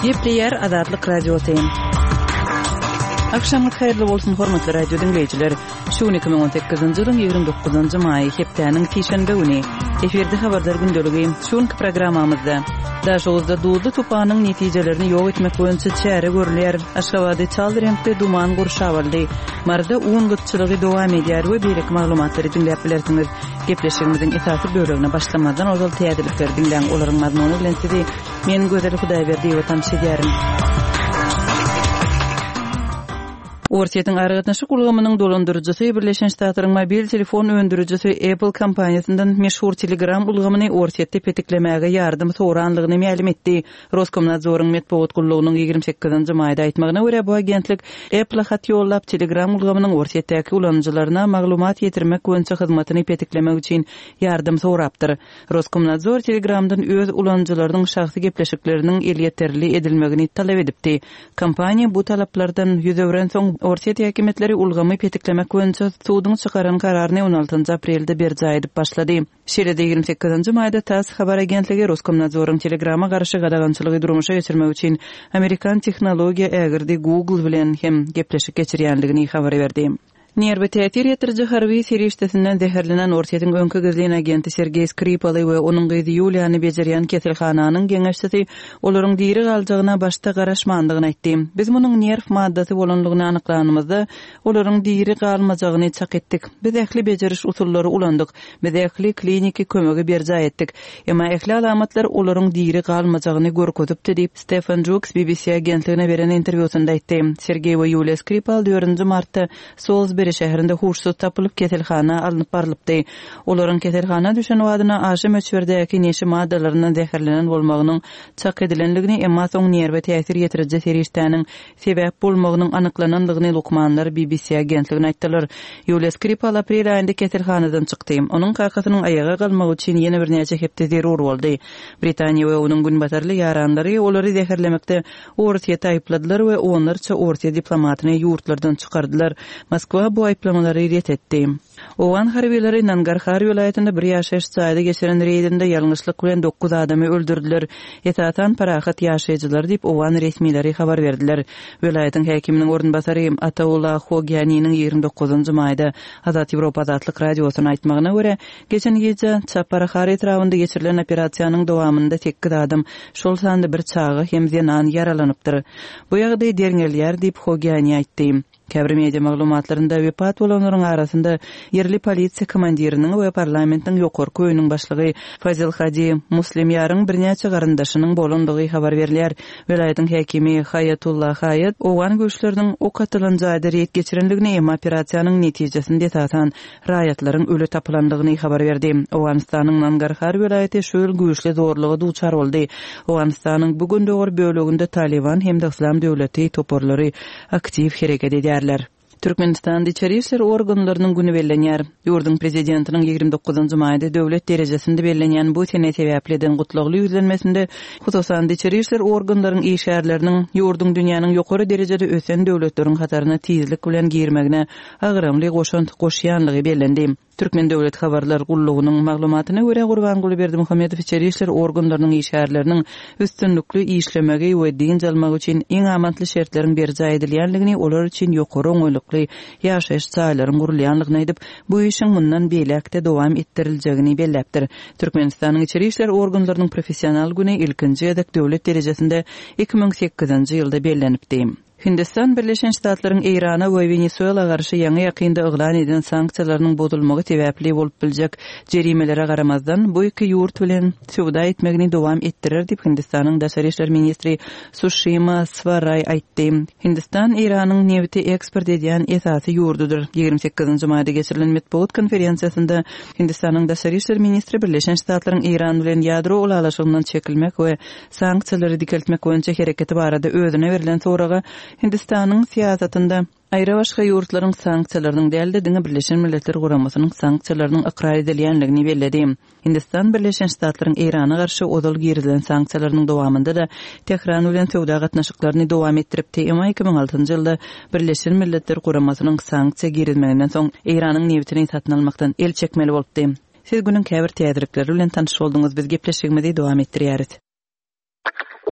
Gepleýär Azatlyk Radiosy. Agşamyňyz haýyrly bolsun, hormatly radio diňleýjiler. Şu gün 2018-nji ýylyň 29-njy maýy, hepdäniň sişenbe güni. Efirde habarlar gündeligi. Şu günki programmamyzda Daşoguzda duzly tupanyň netijelerini ýok etmek boýunça çäre görülýär. Aşgabady çal reňkde duman gurşap aldy. Maryda un gytçylygy dowam edýär we beýleki maglumatlary diňläp bilersiňiz. Gepleşigimiziň esasy bölegine başlamazdan ozal täzelikleri diňläň, olaryň mazmuny bilen sizi men Gözel Hudaýberdiýewa tanyş edýärin. Orsýetiň aragatnaşyk ulgamynyň dolandyryjysy Birleşen Ştatlaryň mobil telefon öndürijisi Apple kompaniýasyndan meşhur Telegram ulgamyny Orsýetde petiklemäge ýardam soranlygyny mälim etdi. Roskomnadzoryň metbugat gullugynyň 28 nji maýda aýtmagyna görä, bu agentlik Apple-a hat ýollap, Telegram ulgamynyň Orsýetdäki ulanyjylaryna maglumat ýetirmek boýunça hyzmatyny petiklemek üçin ýardam sorapdyr. Roskomnadzor Telegramdan öz ulanyjylarynyň şahsy gepleşikleriniň elýeterli edilmegini talap edipdi. Kompaniýa bu talaplardan ýüz öwrensoň, orsýet häkimiýetleri ulgamy petiklemek boýunça suduň çykaran kararyny on altynjy aprelde berjaý edip başlady. Şeýle-de, 28 nji maýda tass habar agentligi Roskomnadzoryň Telegrama garşy gadagançylygy durmuşa geçirmek üçin amerikan tehnologiýa ägirdi Google bilen hem gepleşik geçirýändigini habar berdi. Nerwe täsir ýetiriji harby serişdesinden zäherlenen Orsýetiň öňki gizlin agenti Sergeý Skripaly we onuň gyzy Ýuliýany bejerýän keselhananyň geňeşçisi olaryň diri galjagyna başda garaşmandygyny aýtdy. Biz munuň nerw maddasy bolandygyny anyklanymyzda, olaryň diri galmajagyny çak etdik. Biz ähli bejeriş usullary ulandyk. Biz ähli kliniki kömegi berjaý etdik. Emma ähli alamatlar olaryň diri galmajagyny görkezipdi diýip, Stefan Juks BBC agentligine beren interwýusynda aýtdy. Sergeý we Ýuliýa Skripal dördünji martda Solsberi şäherinde huşsuz tapylyp, keselhana alnyp barlypdy. Olaryň keselhana düşen badyna aşa möçberdäki neşe maddalaryndan zäherlenen bolmagynyň çak edilendigini, emma soň nerwe täsir ýetiriji serişdäniň sebäp bolmagynyň anyklanandygyny lukmanlar BBC agentligine aýtdylar. Ýuliýa Skripal aprel aýynda keselhanadan çykdy. Onuň kakasynyň aýaga galmagy üçin ýene birnäçe hepde zerur boldy. Britaniýa we onuň günbatarly ýaranlary olary zäherlemekde Orsýeti aýypladylar we onlarça orsýet diplomatyny ýurtlardan çykardylar. Moskwa bu aýyplamalary ret etdi. Owgan harbylary Nangarhar welaýatynda bir ýaşaýyş jaýda geçiren reýdinde ýalňyşlyk bilen dokuz adamy öldürdiler. Esasan parahat ýaşaýjylary diýip, owgan resmileri habar berdiler. Welaýatyň häkiminiň orunbasary Ataullah Hogyaniniň 29 njy maýda Azat Ýewropa Azatlyk Radiosyna aýtmagyna görä, geçen gije Çaparhar etrabynda geçirilen operasiýanyň dowamynda sekiz adam, şol sanda bir çaga hem zenan ýaralanypdyr. Bu ýagdaý derňelýär diýip, Hogyani aýtdy. Käbir media maglumatlarynda wepat bolanlaryň arasynda ýerli polisiýa komandiriniň we parlamentiň ýokarky öýüniň başlygy Fazil Hadi Muslimýaryň birnäçe garyndaşynyň bolandygy habar berilýär. Welaýatyň häkimi Haýatullah Haýat owgan güýçleriniň ok atylan jaýda reýd geçirendigini, emma operasiýanyň netijesinde esasan raýatlaryň öli tapylandygyny habar berdi. Owganystanyň Nangarhar welaýaty şu ýyl güýçli zorluga duçar boldy. Owganystanyň bu gündogar böleginde Talyban hem-de Yslam döwleti toparlary aktiw hereket edýärler. Türkmenistanda içeri işler organlarynyň güni bellenýär. Ýurduň Prezidentiniň 29 njy maýda döwlet derejesinde bellenýän bu sene sebäpli eden gutlagly ýüzlenmesinde, hususan-da, içeri işler organlaryň işgärleriniň ýurduň dünýäniň ýokary derejede ösen döwletleriň hataryna tizlik bilen girmegine agramly goşant goşýanlygy bellendi. Türkmen döwlet habarlar gullugynyň maglumatyna görä, Gurbanguly Berdimuhamedow içeri işler organlarynyň işgärleriniň üstünlikli işlemegi we dynç almagy üçin iň amatly şertleriň berjaý edilýändigini, olar üçin ýokary oňaýlykly ýaşaýyş jaýlaryň gurulýandygyny aýdyp, bu işiň mundan beýläk-de dowam etdiriljegini belläpdir. Türkmenistanyň içeri işler organlarynyň professional güni ilkinji gezek döwlet derejesinde 2008-nji ýylda bellenipdi. Hindistan Birleşen Ştatlaryň Eýrana we Wenesuela garşy ýaňy-ýakynda yglan eden sanksiýalarynyň bozulmagy sebäpli bolup biljek jerimelere garamazdan, bu iki ýurt bilen söwda etmegini dowam etdirer diýip, Hindistanyň daşary işler ministri Suşima Swaraý aýtdy. Hindistan Eýranyň nebiti eksport edýän esasy ýurdudyr. 28 nji maýda geçirilen metbugat konferensiýasynda Hindistanyň daşary işler ministri Birleşen Ştatlaryň Eýran bilen ýadro ylalaşygyndan çekilmek we sanksiýalary dikeltmek boýunça hereketi barada özüne berlen soraga Hindistanyň syýasatynda aýrabaşga ýurtlaryň sanksiýalarynyň däl-de, diňe Birleşen Milletler Guramasynyň sanksiýalarynyň ykrar edilýändigini belledi. Hindistan Birleşen Ştatlaryň Eýrana garşy ozal girizilen sanksiýalarynyň dowamynda-da Tähran bilen söwda gatnaşyklaryny dowam etdiripdi, emma 2006-njy ýylda Birleşen Milletler Guramasynyň sanksiýa girizmeginden soň Eýranyň nebitini satyn almakdan el çekmeli bolupdy. Siz günüň käbir täzelikleri bilen tanyş bolduňyz, biz gepleşigimizi dowam etdirýäris.